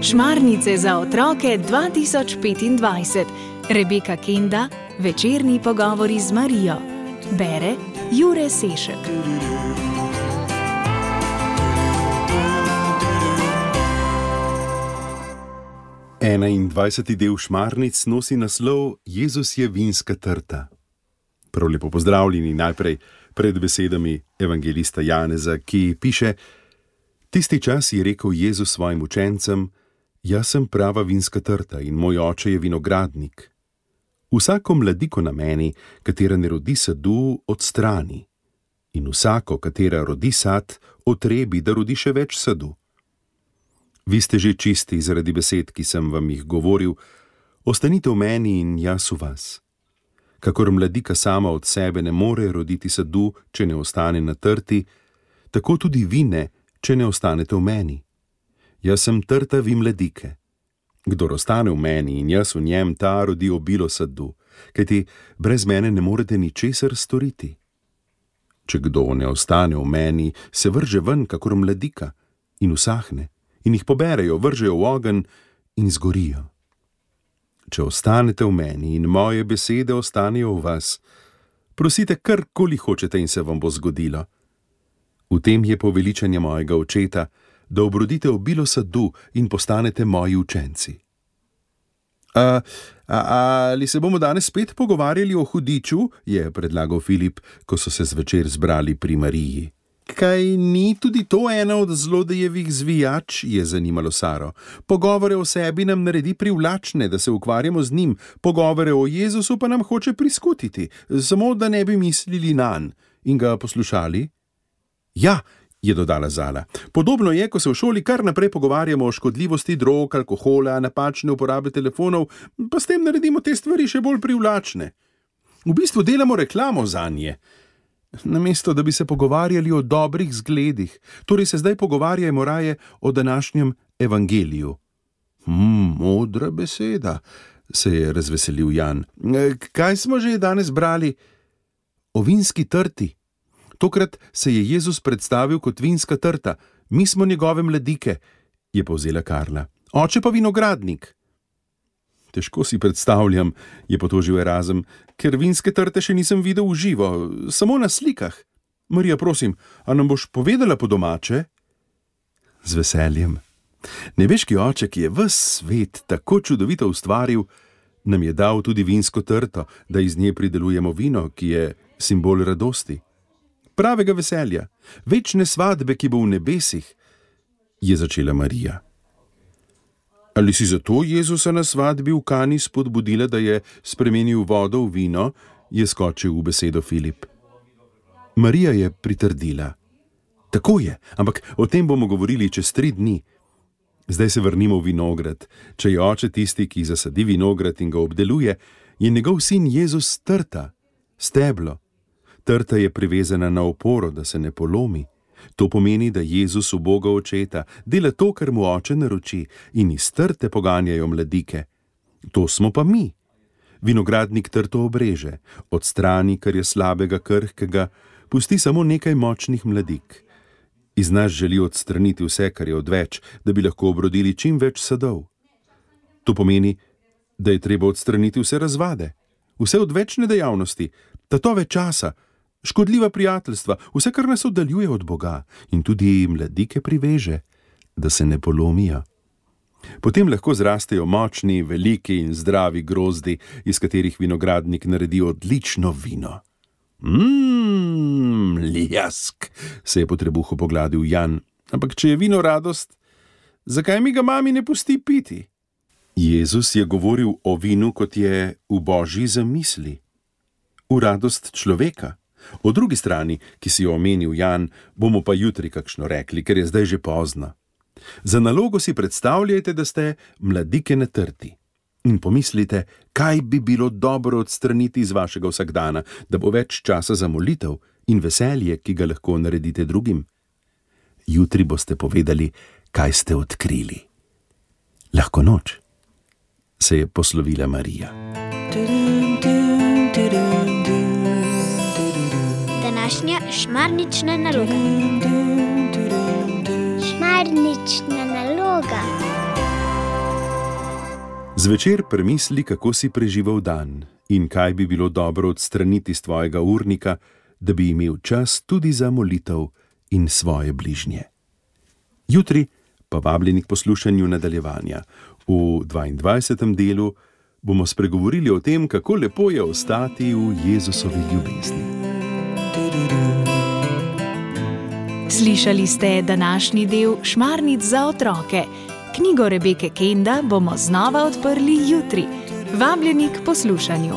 Šmarnice za otroke 2025. Rebeka Kenda, večerni pogovori z Marijo. Bere Jure Sešek. Enaindvajseti del Šmarnic nosi naslov Jezus je vinska trta. Prav lepo pozdravljeni najprej pred besedami evangelista Janeza, ki piše: Tisti čas je rekel Jezus svojim učencem: Jaz sem prava vinska trta in moj oče je vinogradnik. Vsako mladiko na meni, katera ne rodi sadu, odstrani, in vsako, katera rodi sad, otrebi, da rodi še več sadu. Vi ste že čisti zaradi besed, ki sem vam jih govoril, ostanite v meni in jaz v vas. Kakor mladika sama od sebe ne more roditi sadu, če ne ostane na trti, tako tudi vi ne, če ne ostanete v meni. Jaz sem trta, vi mladike. Kdor ostane v meni in jaz v njem, ta rodi obilo sadu, kajti brez mene ne morete ničesar storiti. Če kdo ne ostane v meni, se vrže ven kakor mladika in usahne, in jih poberejo, vržejo v ogenj in zgorijo. Če ostanete v meni in moje besede ostanejo v vas, prosite karkoli hočete in se vam bo zgodilo. V tem je poveličanje mojega očeta, da obrodite obilo sadu in postanete moji učenci. Ali se bomo danes spet pogovarjali o hudiču, je predlagal Filip, ko so se zvečer zbrali pri Mariji. Kaj ni tudi to ena od zlodejevih zvijač, je zanimalo Saro. Pogovore o sebi nam naredi privlačne, da se ukvarjamo z njim, pogovore o Jezusu pa nam hoče priskutiti, samo da ne bi mislili nanj in ga poslušali. Ja, je dodala Zala. Podobno je, ko se v šoli kar naprej pogovarjamo o škodljivosti drog, alkohola, napačne uporabe telefonov, pa s tem naredimo te stvari še bolj privlačne. V bistvu delamo reklamo zanje. Namesto, da bi se pogovarjali o dobrih zgledih, torej se zdaj pogovarjajmo raje o današnjem evangeliju. Modra beseda, se je razveselil Jan. Kaj smo že danes brali? O vinski trti. Tokrat se je Jezus predstavil kot vinska trta, mi smo njegove mladike, je povzela Karla. Oče pa vinogradnik. Težko si predstavljam, je potožil Erazem, ker vinske trte še nisem videl v živo, samo na slikah. Marija, prosim, a nam boš povedala po domače? Z veseljem. Nebeški oče, ki je ves svet tako čudovito ustvaril, nam je dal tudi vinsko trto, da iz nje pridelujemo vino, ki je simbol radosti. Pravega veselja, večne svadbe, ki bo v nebesih, je začela Marija. Ali si zato Jezusa na svadbi v Kani spodbudila, da je spremenil vodo v vino, je skočil v besedo Filip. Marija je pritrdila. Tako je, ampak o tem bomo govorili čez 3 dni. Zdaj se vrnimo v vinograd. Če je oče tisti, ki zasadi vinograd in ga obdeluje, je njegov sin Jezus trta, steblo. Trta je privezana na oporo, da se ne polomi. To pomeni, da Jezus v Boga očeta dela to, kar mu oče naroči, in iz trte poganjajo mladike. To smo pa mi. Vinogradnik trto obreže, odstrani, kar je slabega, krhkega, pusti samo nekaj močnih mladik. Iz nas želi odstraniti vse, kar je odveč, da bi lahko obrodili čim več sadov. To pomeni, da je treba odstraniti vse razvade, vse odvečne dejavnosti, tatove časa, škodljiva prijateljstva, vse, kar nas oddaljuje od Boga, in tudi mladike priveže, da se ne polomijo. Potem lahko zrastejo močni, veliki in zdravi grozdi, iz katerih vinogradnik naredi odlično vino. Ljask, se je po trebuhu pogladil Jan. Ampak če je vino radost, zakaj mi ga mami ne pusti piti? Jezus je govoril o vinu, kot je v Božji zamisli. V radost človeka. O drugi strani, ki si jo omenil Jan, bomo pa jutri kakšno rekli, ker je zdaj že pozno. Za nalogo si predstavljajte, da ste mladike na trti. In pomislite, kaj bi bilo dobro odstraniti iz vašega vsakdana, da bo več časa za molitev in veselje, ki ga lahko naredite drugim. Jutri boste povedali, kaj ste odkrili. Lahko noč, se je poslovila Marija. današnja šmarnična naloga. Šmarnična naloga. Zvečer premisli, kako si preživel dan in kaj bi bilo dobro odstraniti z tvojega urnika, da bi imel čas tudi za molitev in svoje bližnje. Jutri pa vabljeni k poslušanju nadaljevanja. V 22. delu bomo spregovorili o tem, kako lepo je ostati v Jezusovi ljubezni. Slišali ste današnji del Šmarnic za otroke. Knjigo Rebeke Kenda bomo znova odprli jutri. Vabljeni k poslušanju.